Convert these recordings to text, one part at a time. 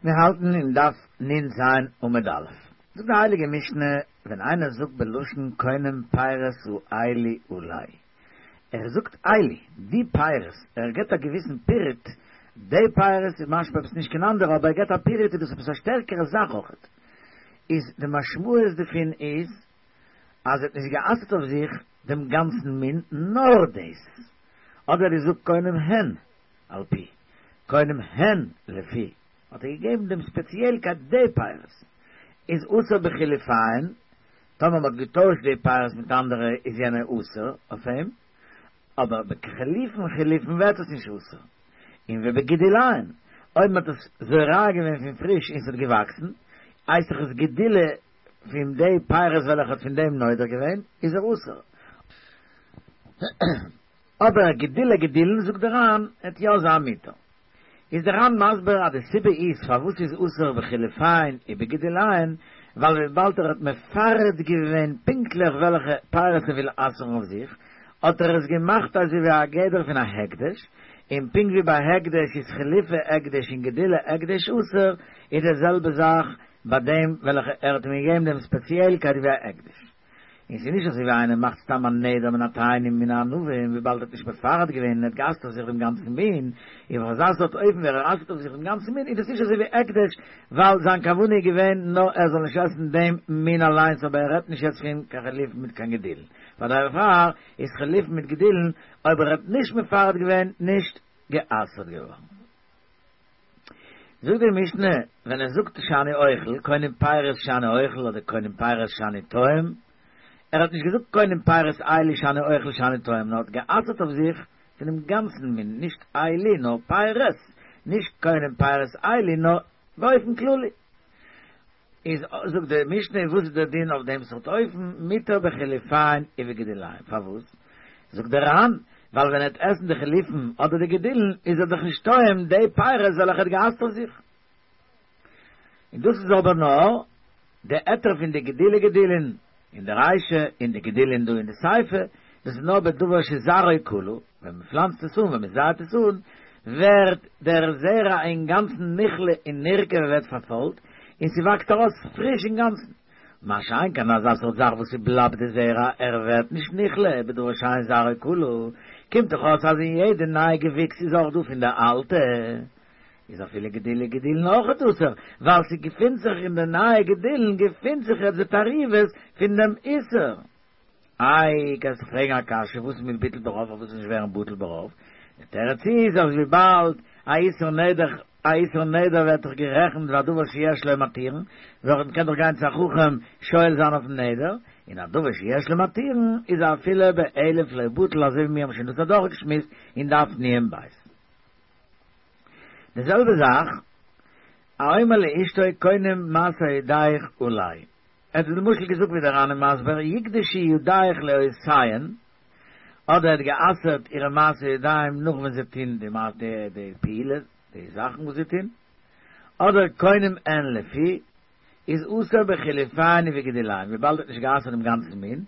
מיר האלטן אין דף נ"ז עמוד א'. זאגט די הייליגע משנה, ווען איינער זאגט בלשון קונם פירות האלו עלי, ער זאגט אלו, די פירות, ער געבט א געוויסן פירוט, די פירות איז משמע עפעס נישט קיין אנדערע, אבער ער געבט א פירוט איז דאס עפעס א שטערקערע זאך אויכעט, איז די משמעות דערפון איז אז ער האט נישט גע'אסר'ט אויף זיך דעם גאנצן מין נאר דאס, אדער ער זאגט קונם הן על פי, קונם הן לפי, האט ער געגעבן דעם ספעציעלקייט די פירות איז אסור בחילופיהן, טאמער מ'האט געטוישט די פירות מיט אנדערע איז יענע אסור אויף אים, אבער בחילופין חילופין ווערט עס נישט אסור, און ובגידוליהן, אויב מ'האט עס זורע געווען פון פריש און ס'האט געוואקסן, הייסט דאך עס גידולי פון די פירות וועלכע האט פון דעם נודר געווען, איז ער אסור. אבער גידולי גידולין זאגט דער ר"ן עט יא זיין מותר. איז דער ר"ן מסביר אז די סיבה איז פארוואס ס'איז אסור בחילופיהן ובגידוליהן ווייל וויבאלד ער האט מפרט געווען פונקטליך וועלכע פירות ער וויל אסר'ן אויף זיך האט ער עס געמאכט אזוי ווי א גדר פון א הקדש און פונקט ווי ביי הקדש איז חילופי הקדש און גידולי הקדש אסור איז די זעלבע זאך ביי דעם וועלכע ער האט אים געגעבן דעם ספעציעלקייט ווי א הקדש. און ס'איז נישט אזוי ווי איינער מאכט סתם א נדר מן התאנים מן הענבים וויבאלד ער האט נישט מפרט געווען און ער האט גע'אסר'ט אויף זיך דעם גאנצן מין, און אויף אזא סארט אופן ווי ער אסר'ט אויף זיך דעם גאנצן מין איז דאס נישט אזוי ווי הקדש ווייל זיין כוונה איז געווען נאר ער זאל נישט עסן דעם מין אליינס אבער ער רעדט נישט יעצט פון קיין חילופין מיט קיין גידולין פאר דערפאר איז חילופין מיט גידולין אויב ער האט נישט מפרט געווען נישט גע'אסר'ט געווארן. זאגט די משנה, ווען ער זאגט שאני אוכל, קונם פירות שאני אוכל אדער קונם פירות שאני טועם, ער האט נישט געזאגט קונם פירות אלו שאני אוכל שאני טועם, נאר האט גע'אסר'ט אויף זיך פונעם גאנצן מין, נישט אלו נאר פירות, נישט קונם פירות אלו נאר באופן כללי. איז זאגט די משנה וואס איז דער דין אויף דעם סארט אופן, מותר בחילופיהן ובגידוליהן, פארוואס? זאגט דער ר"ן, ווייל ווען ער וועט עסן די חילופין אדער די גידולין איז ער דאך נישט טועם די פירות וועלכע ער האט גע'אסר'ט אויף זיך. און דאס איז אבער נאר די היתר פון די גידולי גידולין אין די רישא און די גידולין דא אין די סיפא, דאס איז נאר בדבר שזרעו כלה, ווען מען פלאנצט עס אן, ווען מען זייט עס אן, ווערט דער זרע אינגאנצן נכלה און נרקב און ווערט פארפוילט, און ס'וואקסט ארויס פריש אינגאנצן. מה שאין כן אזא סארט זאך וואס ס'בלייבט די זרע, ער ווערט נישט נכלה, בדבר שאין זרעו כלה, קומט דאך אויס אז אין יעדע נייע געוויקס איז אויך דא פון די אלטע, איז אפילו גידולי גידולין אויכעט אסור, ווייל ס'געפינט זיך אין די נייע גידולין געפינט זיך יעצט די תערובות פון דעם איסור. איי, קענסט דאך פרעגן א קשיא, וואס איז מיט ביטול ברוב, פארוואס נישט ווערן בטל ברוב? די תירוץ איז אז וויבאלד א איסור נדר, א איסור נדר ווערט דאך גערעכנט ווי א דבר שיש לו מתירין, וועלכע מ'קען דאך גיין צו א חכם שואל זיין אויפן נדר, און א דבר שיש לו מתירין איז אפילו באלף לא בטל אזוי ווי מיר האבן שוין דאס אדורכגעשמועסט אין דף נ"ב. די זעלבע זאך, האומר לאשתו קונם מעשה ידיך עלי. ער האט למשל געזאגט ווי דער ר"ן איז מסביר יקדשו ידיך לעושיהן, אדער ער האט גע'אסר'ט אירע מעשה ידיים נאך ווען זיי טוהן די די פעולה, די זאכן וואס זיי טוהן, אדער קונם הן לפי, איז אסור בחילופיהן ובגידוליהן, וויבאלד ער האט נישט גע'אסר'ט דעם גאנצן מין,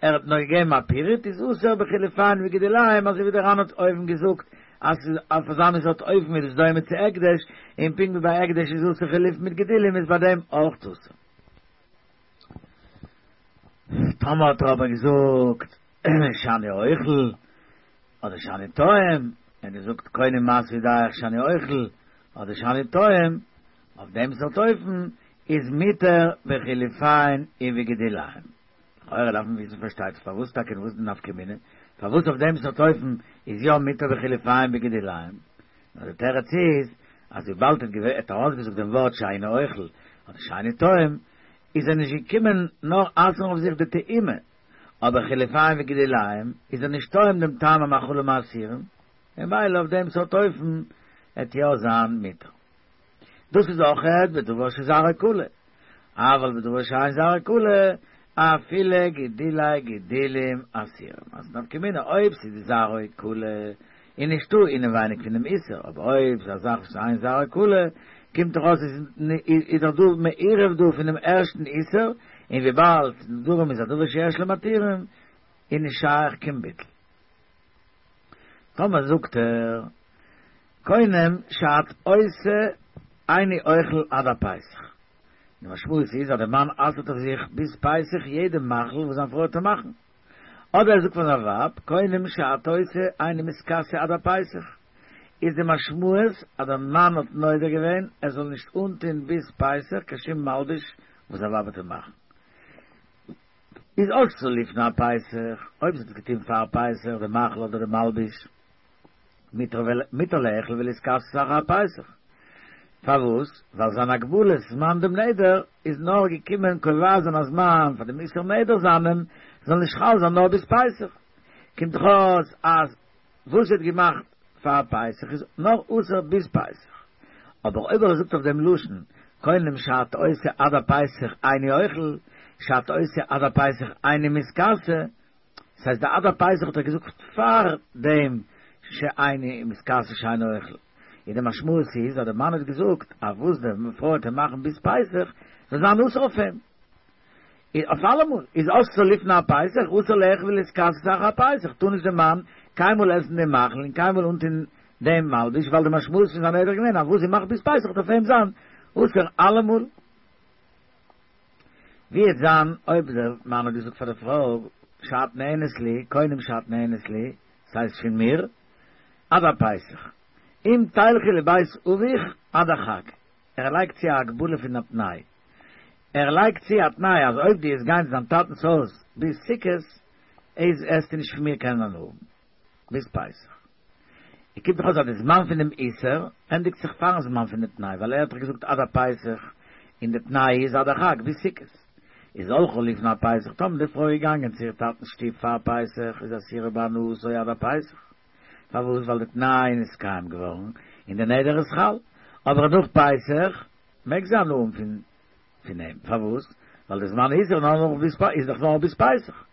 ער האט נאר געגעבן א פירוט, איז אסור בחילופיהן ובגידוליהן, אזוי ווי דער ר"ן האט אויבן געזאגט אז ס'איז אויף אזא מין סארט אופן איז עס דומה צו הקדש, און פונקט ווי ביי הקדש איז אסור חילופין מיט גידולים איז ביי דעם אויך אסור. טאמער האט ער אבער געזאגט שאני אוכל אדער שאני טועם, ער האט געזאגט קונם מעשה ידיך שאני אוכל אדער שאני טועם, אויף דעם סארט אופן איז מותר בחילופיהן ובגידוליהן. לכאורה דארף מען וויסן פארשטייט זיך פארוואס טאקע און וואס איז די נפקא מינה פארוואס אויף דעם סארט אופן איז יא מותר בחילופיהן ובגידוליהן. נאר די תירוץ איז אז וויבאלד ער האט ארויסגעזאגט דעם ווארט שאני אוכל אדער שאני טועם איז ער נישט געקומען נאר אסר'ן אויף זיך די טעימה, אבער חילופיהן וגידוליהן איז ער נישט טועם דעם טעם המאכלים האסורים, ממילא אויף דעם סארט אופן עט יא זיין מותר. דאס איז אויכעט בדבר שזרעו כלה, אבל בדבר שאין זרעו כלה, אפילו גידולי גידולים אסורים. אז נפקא מינה אויב ס'איז זרעו כלה איז נישטא אינעווייניג פונעם איסור, אבער אויב ס'איז א זאך וואס אין זרעו כלה, קומט דאך אויס איז דאך דא מעורב דא פונעם ערשטן איסור, און וויבאלד נדרים איז א דבר שיש לו מתירים, איז נישט שייך קיין ביטול. טאמער זאגט ער קונם שאת עושה. איני אוכל עד הפסח. די משמעות איז אז דער מאן אסר'ט אויף זיך ביז פסח יעדע מאכל וואס זיין פרוי וועט אים מאכן. אדער ער זאגט פאר זיין ווייב, קונם שאת עושה איני מתכסה עד הפסח. איז די משמעות אז דער מאן האט נודר געווען ער זאל נישט אנטוהן ביז פסח קיין שום מלבוש וואס זיין ווייב וועט אים מאכן. איז עשתה לפני הפסח, אויב זי האט עס געטוהן פאר פסח, די מאכל אדער די מלבוש. מותר לאכול ולהתכסות אחר הפסח. פארוואס? ווייל זיין הגבלת זמן דעם נדר איז נאר געקומען קובע זיין א זמן פאר דעם איסור נדר זיינעם זאל נישט חל זיין נאר ביז פסח. קומט דאך אויס אז וואס זי האט געמאכט פאר פסח איז נאר אסור ביז פסח. אבער אויב ער זאגט אויף דעם לשון קונם שאת עושה עד הפסח איני אוכל, שאת עושה עד הפסח איני מתכסה, ס'הייסט די עד הפסח האט ער געזאגט פאר דעם שאיני מתכסה שאיני אוכל, און די משמעות איז אז די מאן האט געזאגט אז וואס די פרוי וועט אים מאכן ביז פסח זאל זיין אסור אויף אים אויף אלעמאל, איז עשתה לפני הפסח אסור לאכול ולהתכסות אחר הפסח, טאר נישט די מאן קיינמאל עסן דעם מאכל און קיינמאל אנטון דעם מלבוש ווייל די משמעות פון זיין נדר איז געווען אז וואס זי מאכט ביז פסח וועט אויף אים זיין אסור אלעמאל. ווי וועט זיין אויב דער מאן האט געזאגט פאר די פרוי שאת נהנית לי, קונם שאת נהנית לי, ס'הייסט פון מיר, עד הפסח, אם תלכי לבית אביך עד החג, ער לייגט צו א הגבלה פון א תנאי, ער לייגט צו א תנאי אז אויב דו וועסט גיין צו דיין טאטנ'ס הויז ביז סוכות, איז וועסטו נישט פון מיר קענען הנאה האבן ביז פסח. און קומט דאך אויס אז די זמן פון דעם איסור ענדיגט זיך פארן זמן פון די תנאי, ווייל ער האט דאך געזאגט עד הפסח און די תנאי איז עד החג ביז סוכות. איז הלכה לפני הפסח, טאמער די פרוי איז געגאנגען צו איר טאטנ'ס שטוב פאר פסח איז אסורה בהנאתו עד הפסח. פארוואס? ווייל די תנאי איז נתקיים געווארן און די נדר איז חל. אבער נאך פסח מעג זי הנאה האבן פון פון אים, פארוואס? ווייל די זמן איסור נאר נאך ביז איז דאך נאר ביז פסח,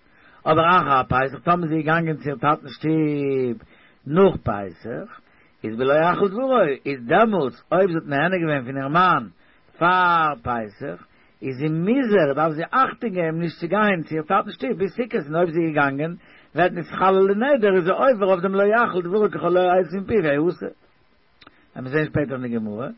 אבער אחר הפסח טאמער זי איז געגאנגען צו איר טאטנ'ס שטוב נאך פסח, איז בלא יחל דברו, איז דעמאלטס אויב זי האט נהנה געווען פון איר מאן פאר פסח, איז זי מוזהר, דארף זי אכטונג געבן נישט צו גיין צו איר טאטנ'ס שטוב ביז סוכות, און אויב זי איז געגאנגען ווערט נתחלל די נדר, איז זי עובר אויף דעם לא יחל דברו ככל היוצא מפיו יעשה. וועט מען זען שפעטער אין די גמרא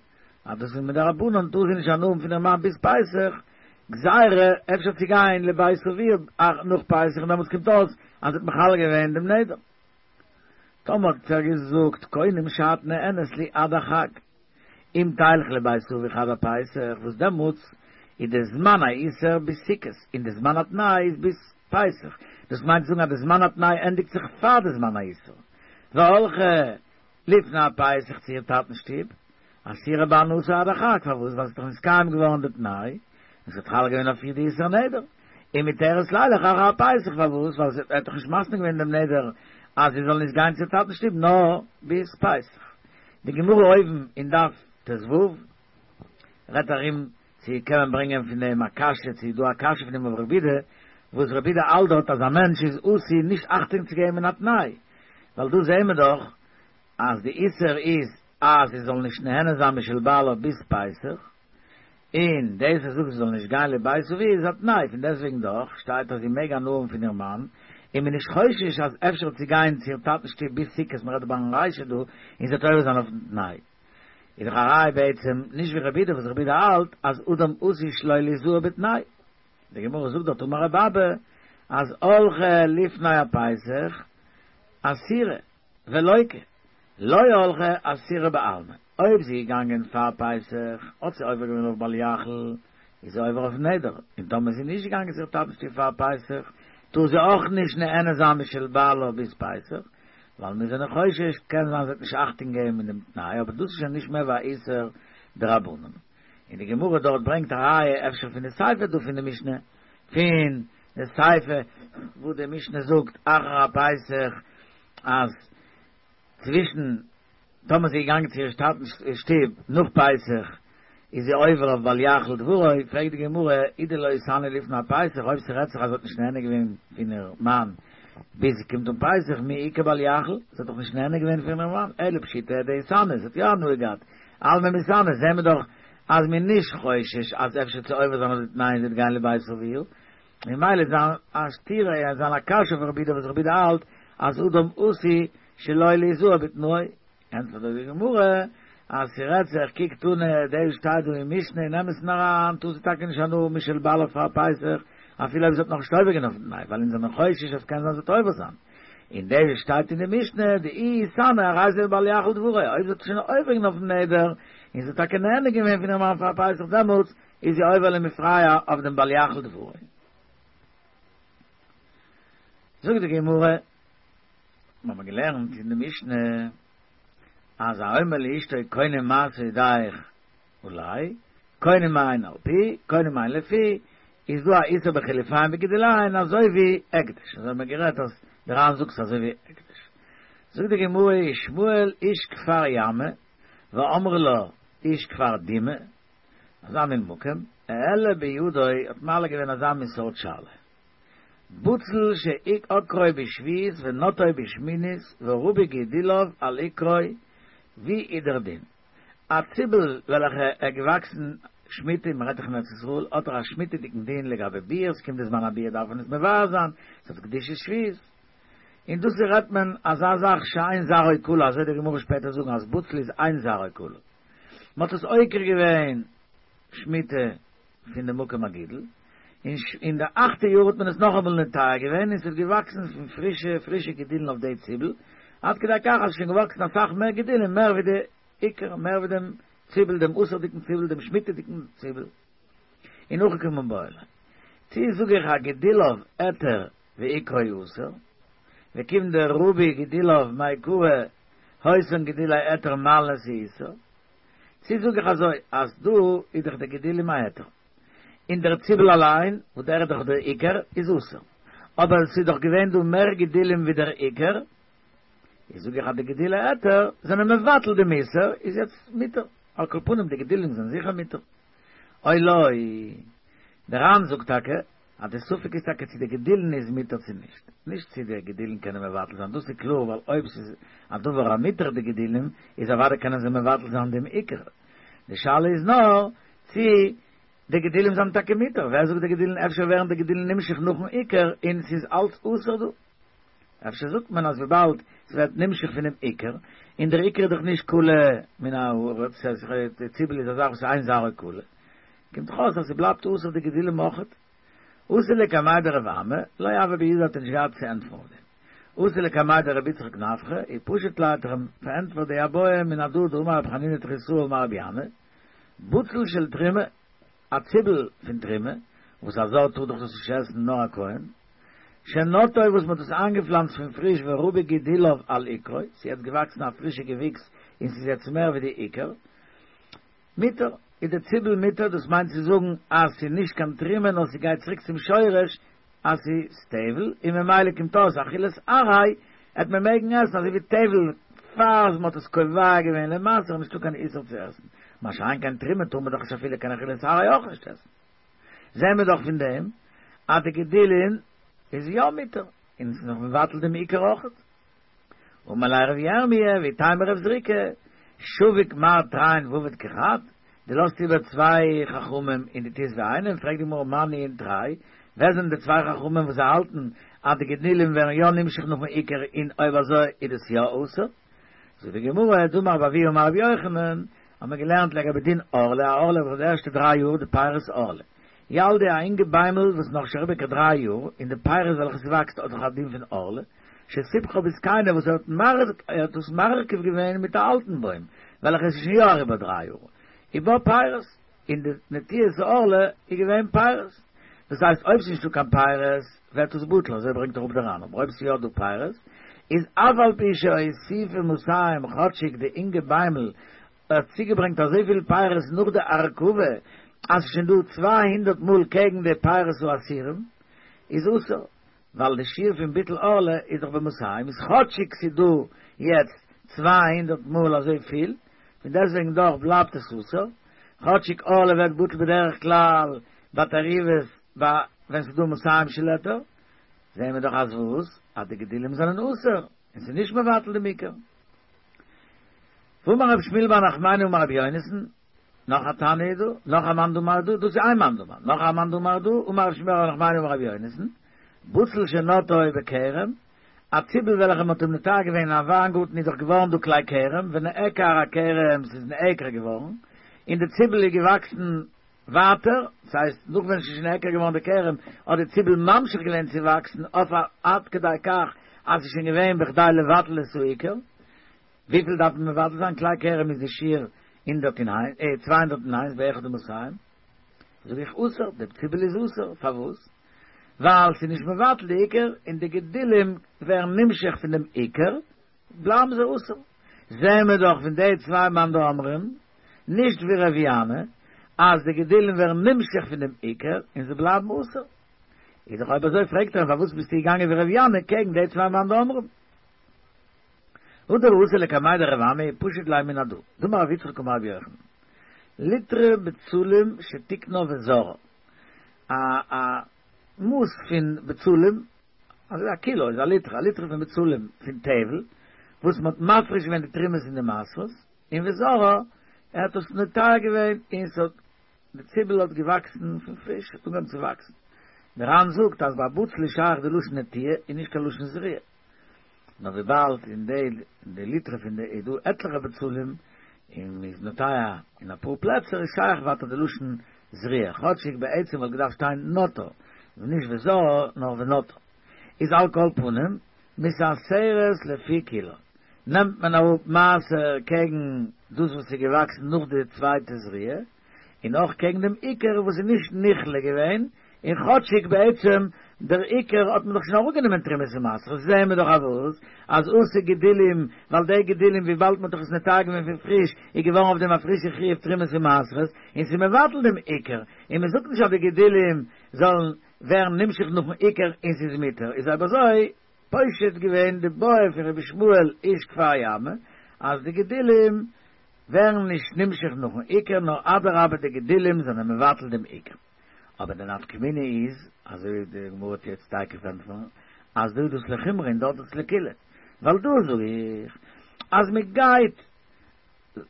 אז דאס איז מדרבנן טאר זי נישט הנאה האבן פון איר מאן ביז פסח, גזירה אפשר צו גיין לבית אביה נאך פסח און דעמאלטס קומט אויס אז זי האט מחלל געווען דעם נדר. טאמער האט ער געזאגט קונם שאת נהנית לי עד החג אם תלכי לבית אביך עד הפסח וואס דעמאלטס איז די זמן האיסור ביז סוכות און די זמן התנאי איז ביז פסח דאס מיינט צו זאגן אז די זמן התנאי ענדיגט זיך פאר די זמן האיסור והלכה לפני הפסח צו איר טאטנ'ס שטוב, אסורה בהנאתו עד החג, פארוואס? ווייל ס'איז דאך נתקיים געווארן די תנאי, און ס'האט חל געווען אויף איר די איסור נדר, ומותרת לילך אחר הפסח, פארוואס? ווייל זי האט דאך נישט מתנה געווען דעם נדר אז זי זאל נישט גיין צו איר טאטנ'ס שטוב נאר ביז פסח. די גמרא אויבן אין דף ט"ו רעדט ארום צו קען מען ברענגען פון דעם א קשיא, צו איז דא א קשיא פון דעם אויף רבי יהודה, וואס רבי יהודה האלט דארט אז א מענטש איז עשוי נישט אכטונג צו געבן אין א תנאי, ווייל דא זעהן מיר דאך אז די איסור איז אז זי זאל נישט נהנה זיין משל בעלה ביז פסח, און דאס ער זאגט זי זאל נישט גיין לבית אביה איז א תנאי, פון דעסטוועגן דאך שטייט אז זי מעג הנאה האבן פון איר מאן, און מ'איז נישט חושש אז אפשר וועט זי גיין צו איר טאטנ'ס שטוב ביז סוכות, מ'רעדט דא ביים רישא דא, און זי וועט עובר זיין אויפן תנאי. איז דאך א ראיה בעצם נישט ווי רבי יהודה וואס רבי יהודה האלט אז אדם עשוי שלא ליזהר בתנאי. די גמרא זאגט דארט אמר רבי אבא אז הלכה לפני הפסח אסירה ולוקה, לא הלכה אסירה בעלמא, אויב זי איז געגאנגען פאר פסח האט זי עובר געווען אויף בל יחל, איז זי עובר אויף נדר, און טאמער זי איז נישט געגאנגען צו איר טאטנ'ס שטוב פאר פסח טאר זי אויך נישט נהנה זיין משל בעלה ביז פסח, ווייל מיר זענען חושש קען זיין זי וועט נישט אכטונג געבן אין דעם תנאי, אבער דאס איז שוין נישט מער ווי א איסור דרבנן. און די גמרא דארט ברענגט א ראיה אפשר פון די סיפא דא פון די משנה, פון די סיפא וואו די משנה זאגט אחר הפסח אז צווישן טאמער זי איז געגאנגען צו איר טאטנ'ס שטוב נאך פסח איז זי עובר אויף בל יחל דברו, פרעגט די גמרא, אי דלא איתהני לפני הפסח, אויב ס'רעדט זיך אז זי האט נישט נהנה געווען פון איר מאן ביז ס'קומט אן פסח, מי איכא בל יחל, זי האט דאך נישט נהנה געווען פון איר מאן, אלא פשיטא דאיתהני, זי האט יא הנאה געהאט, אלמא מיתהני, זעהן מיר דאך אז מ'איז נישט חושש אז אפשר צו עובר זיין אויף די תנאי און זי וועט גיין לבית אביה, ממילא איז זיין א סתירה און זיין א קשיא אויף רבי יהודה וואס רבי יהודה האלט אז אדם עשוי שלא ליזהר בתנאו, ענטפערט די גמרא. אז ס'רעדט זיך, קוק תנא, דאס שטייט דא אין משנה אין אמת'ן אריין, טאר זי טאקע נישט הנאה האבן משל בעלה פאר פסח, אפילו אויב זי האט נאכנישט עובר געווען אויפן תנאי, ווייל אונז זעמיר חושש אז ס'קען זיין זי וועט עובר זיין. און דאס שטייט אין די משנה, דאי איתהני הרי זה בל יחל דברו, אויב זי האט שוין עובר געווען אויפן נדר, און זי האט טאקע נהנה געווען פון איר מאן פאר פסח דעמאלטס איז זי עובר למפרע אויף דעם בל יחל דברו. זאגט די גמרא, מיר האבן געלערנט אין די משנה, אז האומר לאשתו קונם מעשה ידיך עלי, קונם מאין על פי, קונם מאין לפי, איז דא א איסור בחילוף עין וגידול עין אזוי ווי הקדש, אזוי האבן מיר גערעדט אז דער ר"ן זאגט ס'אזוי ווי הקדש. זאגט די גמרא ושמואל איש כפר ימא ואמרי לה איש כפר דימא, אזא מין מקום, העלה בידו האט מעלה געווען אזא מין סארט שאלה. בצל שעקרו בשביעית ונטעו בשמינית ורבו גידוליו על עיקרו, ווי איז דער דין? א ציבל וועלכע איז געוואקסן שמיטה, מען רעדט דאך אין ארץ ישראל, האט ער א שמיטה'דיגן דין לגבי ביעור, ס'קומט די זמן הביעור דארף מען עס מבער זיין, ס'האט קדושת שביעית. און דאס רעדט מען אזא זאך שאין זרעו כלה, אזוי די גמרא שפעטער זאגן אז בצל איז אין זרעו כלה. מען האט עס עוקר געווען שמיטה פון די מקום הגידול, און אין די אכטע יאר האט מען עס נאכאמאל נוטע געווען און ס'איז געוואקסן פון פרישע פרישע גידולן אויף די ציבל, עד כדי כך אז ס'איז שוין געוואקסן אסאך מער גידולים מער ווי די עיקר, מער ווי דעם ציבל, דעם אסור'דיגן ציבל, דעם שמיטה'דיגן ציבל. און הכי קמיבעיא ליה. צי זאג איך אז גידוליו היתר ועיקרו אסור, וכיון דרבו גידוליו מעיקרא אותן גידולי היתר מעלין את האיסור, צי זאג איך אזוי אז דא איז דאך די גידולים א היתר, און דער ציבל אליין, וואס דער איז דאך דער עיקר, איז אסור. אבער עס איז דאך געווען דא מער גידולים ווי דער עיקר, איז זאג איך אז די גידולי היתר זענען מבטל דעם איסור, איז יעצט מותר. על כל פנים די גידולים זענען זיכער מותר. או לא, דער ר"ן זאגט טאקע אז די ספק איז טאקע צו די גידולין איז מותר צו נישט, נישט צו די גידולין קענען מבטל זיין, דאס איז קלאר ווייל אויב ס'איז א דבר המותר די גידולים איז אוודאי קענען זיי מבטל זיין דעם עיקר, די שאלה איז נאר צו די גידולים זענען טאקע מותר, ווער זאגט די גידולין אפשר ווערן די גידולין נמשך נאכן עיקר און ס'איז אלץ אסור דא. אפשר זאגט מען אז וויבאלד ס'ווערט נמשך פונעם עיקר, און דער עיקר איז דאך נישט כלה מן הארץ, די ציבל איז א זאך וואס איז אין זרעו כלה, קומט דאך אויס אז ס'בלייבט אסור די גידולים אויכעט. אתא לקמיה דרב אמי, לא הוה בידיה האט ער נישט געהאט צו ענטפערן אויף דעם. אתא לקמיה דרבי יצחק נפחא, איז פשט ליה האט ער אים פארענטפערט די בעיא מן הדא דאמר רב חנינא תחיתאה אמר רבי ינאי, בצל של תרומה, א ציבל פון תרומה, וואס א זר טאר דאך דאס נישט עסן נאר א כהן, שנטעו וואס מען האט עס איינגעפלאנצט פון פריש ורבו גידוליו על עיקרו, ס'איז יעצט געוואקסן א פרישע געוויקס און ס'איז יעצט מער ווי די עיקר, מותר, איז די ציבל מותר, דאס מיינט צו זאגן אז ס'איז נישט קיין תרומה נאר ס'גייט צוריק צום שורש אז ס'איז טבל, און ממילא קומט אויס אכילת עראי העט מען מעגן עסן אזוי ווי טבל פאר מ'האט עס קובע געווען למעשר איז נישטא קיין איסור צו עסן, מה שאין כן תרומה טאר מען דאך נישט אפילו קיין אכילת עראי אויך נישט עסן. זעהן מיר דאך פון דעם אז די גידולין איז יא מותר, און ס'איז נאך מבטל דעם עיקר אויכעט. אמר ליה רב ירמיה ואיתימא רב זריקא, שביק מר תרין ועביד כחד, דו לאזט איבער צוויי חכמים און דו טוסט ווי איינעם, פרעגט די גמרא מאי ניהו תרי, ווער זענען די צוויי חכמים וואס זיי האלטן אז די גידולים ווערן יא נמשך נאכן עיקר און אויב אזוי איז דאס יא אסור? זאגט די גמרא, דאמר רבי אבהו אמר רבי יוחנן, האט מען געלערנט לגבי דין ערלה, א ערלה וואס האט די ערשטע דריי יאר די פירות ערלה, ילדה א אינגע ביימל וואס איז נאכנישט אריבער קיין דריי יאר, און די פירות וועלכע ס'וואקסט האט דאך א דין פון ערלה, שסיבכה בזקנה וואס ער האט ער האט דאס מרכיב געווען מיט א אלטן בוים וועלכע איז שוין יא אריבער דריי יאר, ובה פירות, און די נטיעת הערלה איז געווען פירות, דאס הייסט אויב ס'איז נישטא קיין פירות ווערט עס בטל, אזוי ברענגט אראפ דער ר"ן, אבער אויב ס'איז יא דא פירות איז אף על פי שהוסיפה מאתים כאטשיג די אינגע ביימל האט צוגעברענגט אזויפיל פירות נאך די הרכבה אז ס'איז שוין דא 200 מאל קעגן די פירות האסורים איז אסור, ווייל די שיעור פון ביטול ערלה איז דאך במאתים, איז כאטשיג ס'איז דא יעצט 200 מאל אזוי פיל, פון דעסטוועגן דאך בלייבט עס אסור, כאטשיג ערלה ווערט בטל בדרך כלל ביי תערובות ביי ווען ס'איז דא מאתים של היתר, זעהן מיר דאך אז וואס? אז די גידולים זענען אסור, און ס'איז נישט מבטל דעם עיקר. ואמר רב שמואל בר נחמני אמר רבי יונתן, נאך א תנא איז דא, נאך א מאן דאמר דא, דאס איז איין מאן דאמר, נאך א מאן דאמר דא, אמר רב שמואל בר נחמני אמר רבי יונתן, בצל שנטעו בכרם, א ציבל וועלכע מ'האט אים נוטע געווען אין א וויינגארטן איז דאך געווארן דא כלי כרם, ונעקר הכרם ס'איז נעקר געווארן, און די ציבל איז געוואקסן ווייטער, ס'הייסט נאך ווען ס'איז שוין נעקר געווארן די כרם האט די ציבל ממשיך געווען צו וואקסן אויף א עד כדי כך אז ס'איז שוין געווען בכדי לבטל את העיקר, וויפיל דארף מען מבטל זיין? כלי כרם איז די שיעור הונדערט און 201 באחד ומאתים, זאג איך אסור, די ציבל איז אסור, פארוואס? ווייל ס'איז נישט מבטל די עיקר, און די גידולים ווערן נמשך פון דעם עיקר, בלייבן זיי אסור. זעהן מיר דאך פון די צוויי מאן דאמרים, נישט ווי ר' ינאי, אז די גידולים ווערן נמשך פון דעם עיקר און זיי בלייבן אסור. איז דאך אויב אזוי פרעגט ער אים פארוואס ביסטו געגאנגען ווי ר' ינאי קעגן די צוויי מאן דאמרים? הדר אתא לקמיה דרב אמי פשט ליה מן הדא, דאמר רב יצחק אמר רבי יוחנן, ליטרא בצלים שתיקנה וזרעה, א א מאס פון בצלים, אזוי א קילא איז א ליטרא, א ליטרא פון בצלים פון טבל, וואס מען האט מפריש געווען די תרומות און די מעשרות, און וזרעה, ער האט עס נוטע געווען און ס'האט, די ציבל האט געוואקסן פון פריש, האט אנגעהויבן צו וואקסן. דער ר"ן זאגט אז ביי בצל איז שייך די לשון נטיעה און נישט קיין לשון זריעה. נאר וויבאלד אין די אין די ליטרא פון די איז דא עטליכע בצלים און מ'איז נוטע אין אפאר פלעצער איז שייך ווייטער די לשון זריעה כאטשיג בעצם וואלט געדארפט שטיין נטעה און נישט וזרעה נאר ונטעה איז על כל פנים מתעשרת לפי כולה נעמט מען אראפ מעשר קעגן דאס וואס איז געוואקסן נאך די צווייטע זריעה און אויך קעגן דעם עיקר וואס איז נישט נכלה געווען, און כאטשיג בעצם דער עיקר האט מען דאך שוין אראפגענומען תרומות ומעשרות, זעען מיר דאך אז וואס? אז אתו גידולים, ווייל די גידולים וויבאלד מען האט דאך עס נוטע געווען פון פריש, איז געווארן אויף דעם א פרישע חיוב תרומות ומעשרות, און ס'איז מבטל דעם עיקר, און מען זאגט נישט אז די גידולים זאלן ווערן נמשך נאכן עיקר און ס'איז מותר, איז אויב אזוי פושט געווען די בעיא פון רבי ישמעאל איש כפר ימא אז די גידולים ווערן נישט נמשך נאכן עיקר נאר אדרבה די גידולים זענען מבטל דעם עיקר. אבער די נפקא מינה איז, אזוי ווי די גמרא וועט יעצט תיכף ענטפערן, אז דא איז דאס לחומרא און דארט איז עס לקולא. ווייל דא זאג איך אז מען גייט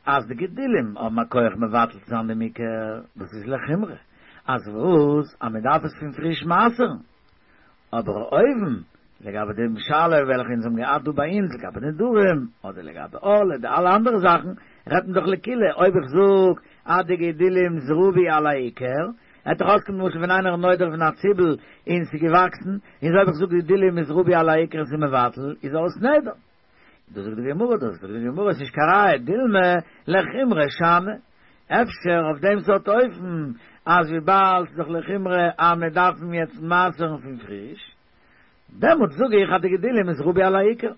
אז די גידולים האבן א כח מבטל צו זיין דעם עיקר, דאס איז לחומרא. אז וואס? אז מען דארף עס פון פריש מעשר'ן. אבער אויבן, לגבי דעם שאלה וועלכע אונז האבן געהאט דא ביי אונז לגבי נדרים, אדער לגבי ערלה, די אלע אנדערע זאכן, רעדט מען דאך לקולא, אויב איך זאג אז די גידולים איז רבי על העיקר, וועט דאך אויסקומען למשל ווען איינער איז נודר פון א ציבל און ס'איז געוואקסן, און אויב איך זאג גידולים איז רבי על העיקר און ס'איז מבטל, איז אויס נדר. דאס זאגט די גמרא, דאס זאגט די גמרא, ס'נישט קיין ראיה, דילמא לחומרא שאני, אפשר אויף דעם סארט אופן, אז וויבאלד ס'איז דאך לחומרא אז מען דארף אים יעצט מעשר'ן פון פריש, דעמאלטס זאג איך אז די גידולים איז רבי על העיקר.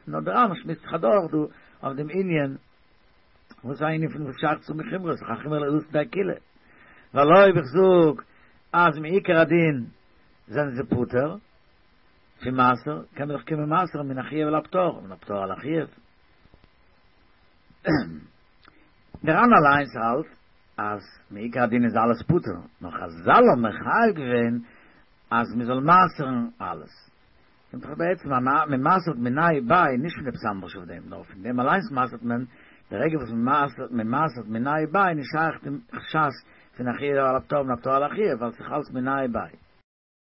נאר דער ר"ן שמועסט זיך אדורך דא אויף דעם ענין, וואס איז א ענין פון וואס שייך צו מחומרא, ס'איז דאך א חומרא ליתא קולא. ווייל אויב איך זאג אז מעיקר הדין זענען זיי פטור, פון מעשר קען מען דאך קומען מעשר'ן מן החיוב על הפטור, מן הפטור על החיוב. דער ר"ן אליינס האלט אז מעיקר הדין איז אלעס פטור, נאר חזל האבן מחייב געווען אז מען זאל מעשר'ן אלעס. קומט דאך בעצם אז מען מעשר'ט מיניה וביה נישט פון עפעס אנדערש אויף דעם, נאר פון דעם אליינס מעשר'ט מען, די רגע וואס מען מעשר'ט מיניה וביה איז נישט שייך דעם חשש פון החיוב על הפטור מן הפטור על החיוב, ווייל ס'איז אלס מיניה וביה.